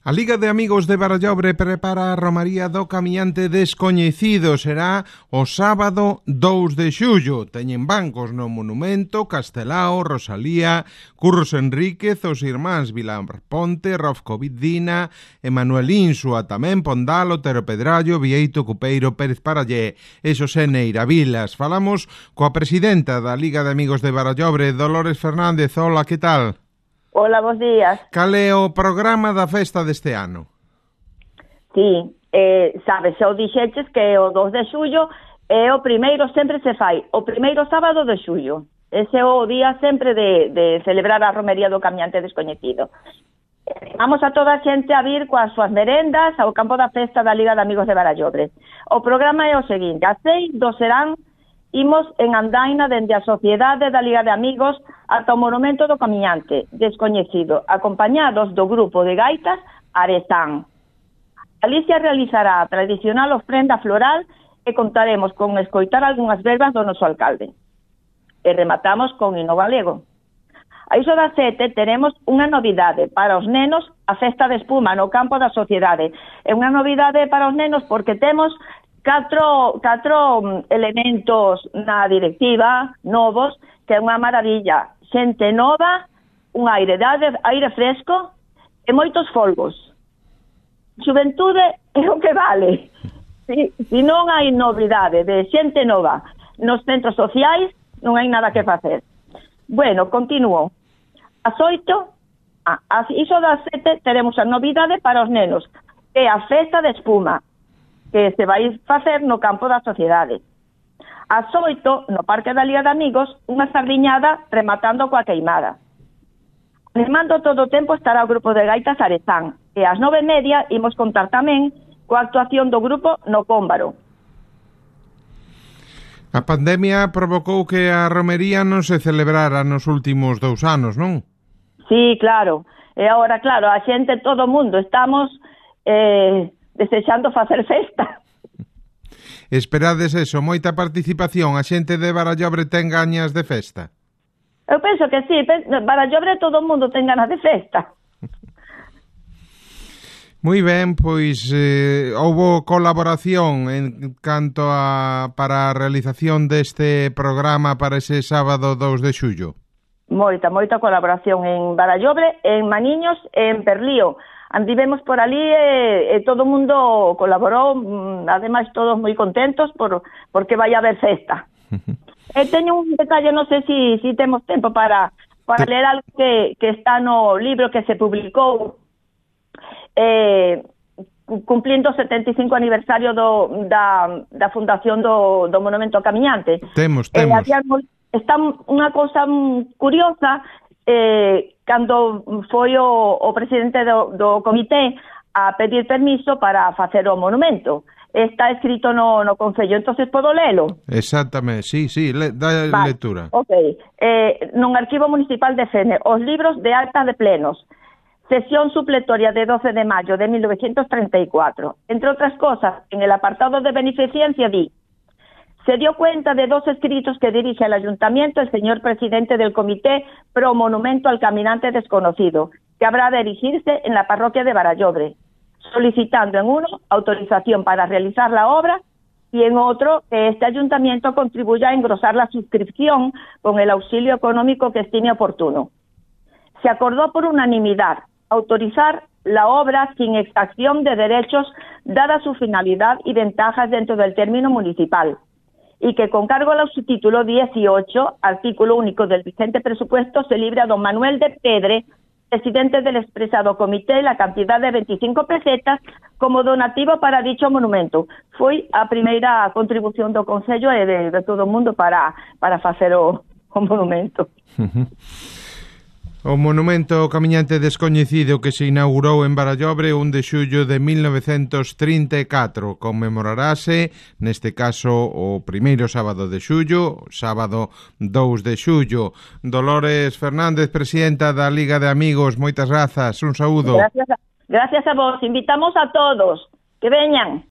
A Liga de Amigos de Barallobre prepara a romaría do camiñante descoñecido. Será o sábado 2 de xullo. Teñen bancos no Monumento, Castelao, Rosalía, Curros Enríquez, os irmáns Vilar Ponte, Rofco Vidina, Emanuel Insua, tamén Pondal, Otero Pedrallo, Vieito Cupeiro, Pérez Parallé e Xosé Neira Vilas. Falamos coa presidenta da Liga de Amigos de Barallobre, Dolores Fernández. Hola, que tal? Hola, bons días. Cal é o programa da festa deste ano? Sí, sabes, xa o dixeches que o 2 de xullo é o primeiro, sempre se fai, o primeiro sábado de xullo. Ese é o día sempre de celebrar a romería do camiñante descoñecido. Vamos a toda a xente a vir coas súas merendas ao campo da festa da Liga de Amigos de Barallobre. O programa é o seguinte: a 6 do serán imos en andaina dende a Sociedade da Liga de Amigos ata o Monumento do Camiñante descoñecido, acompañados do grupo de gaitas Arezán. Alicia realizará a tradicional ofrenda floral e contaremos con escoitar algunhas verbas do noso alcalde. E rematamos con hino galego. A iso das 7 teremos unha novidade para os nenos, a festa de espuma no campo da Sociedade. É unha novidade para os nenos porque temos catro elementos na directiva novos, que é unha maravilla. Xente nova, un aire fresco e moitos folgos. Xuventude é o que vale. Se non hai novidade de xente nova nos centros sociais, non hai nada que facer. Bueno, continuo. As 8, iso das 7, teremos a novidade para os nenos, que é a festa de espuma, que se vai facer no campo da Sociedade. Ás 8, no Parque da Liga de Amigos, unha sardiñada rematando coa queimada. Animando todo o tempo estará o grupo de gaitas Arezán, e ás 9:30 imos contar tamén coa actuación do grupo no Cómbaro. A pandemia provocou que a romería non se celebrara nos últimos 2 anos, non? Sí, claro. E agora, claro, a xente, todo o mundo, estamos desexando facer festa. Esperades eso, moita participación, a xente de Barallobre ten gañas de festa? Eu penso que sí, Barallobre todo o mundo ten ganas de festa. Moi ben, pois houbo colaboración en canto para a realización deste programa para ese sábado 2 de xullo. Moita colaboración en Barallobre, en Maniños e en Perlío. Andivemos por ali e todo o mundo colaborou, ademais todos moi contentos porque vai haber festa. Teño un detalle, non sei se temos tempo para ler algo que está no libro que se publicou cumplindo o 75 aniversario da fundación do Monumento Camiñante. Temos. Está unha cousa curiosa. Cando foi o presidente do comité a pedir permiso para facer o monumento. Está escrito no Concello, entonces podo lelo? Exactamente, sí, dá lectura. Ok, non Arquivo Municipal de Fene, os libros de acta de plenos, sesión supletoria de 12 de mayo de 1934. Entre otras cosas, en el apartado de beneficencia di: se dio cuenta de 2 escritos que dirige al Ayuntamiento el señor presidente del Comité Pro Monumento al Caminante Desconocido, que habrá de erigirse en la parroquia de Barallobre, solicitando en uno autorización para realizar la obra y en otro que este Ayuntamiento contribuya a engrosar la suscripción con el auxilio económico que estime oportuno. Se acordó por unanimidad autorizar la obra sin exacción de derechos dada su finalidad y ventajas dentro del término municipal, y que con cargo al subtítulo 18, artículo único del vigente presupuesto, se libre a don Manuel de Pedre, presidente del expresado comité, la cantidad de 25 pesetas como donativo para dicho monumento. Foi a primeira contribución do Concello e de todo o mundo para facer o monumento. O Monumento Camiñante Descoñecido que se inaugurou en Barallobre 1 de xullo de 1934 conmemorarase, neste caso, o primeiro sábado de xullo, sábado 2 de xullo. Dolores Fernández, presidenta da Liga de Amigos, moitas grazas, un saúdo. Gracias a vos, invitamos a todos que veñan.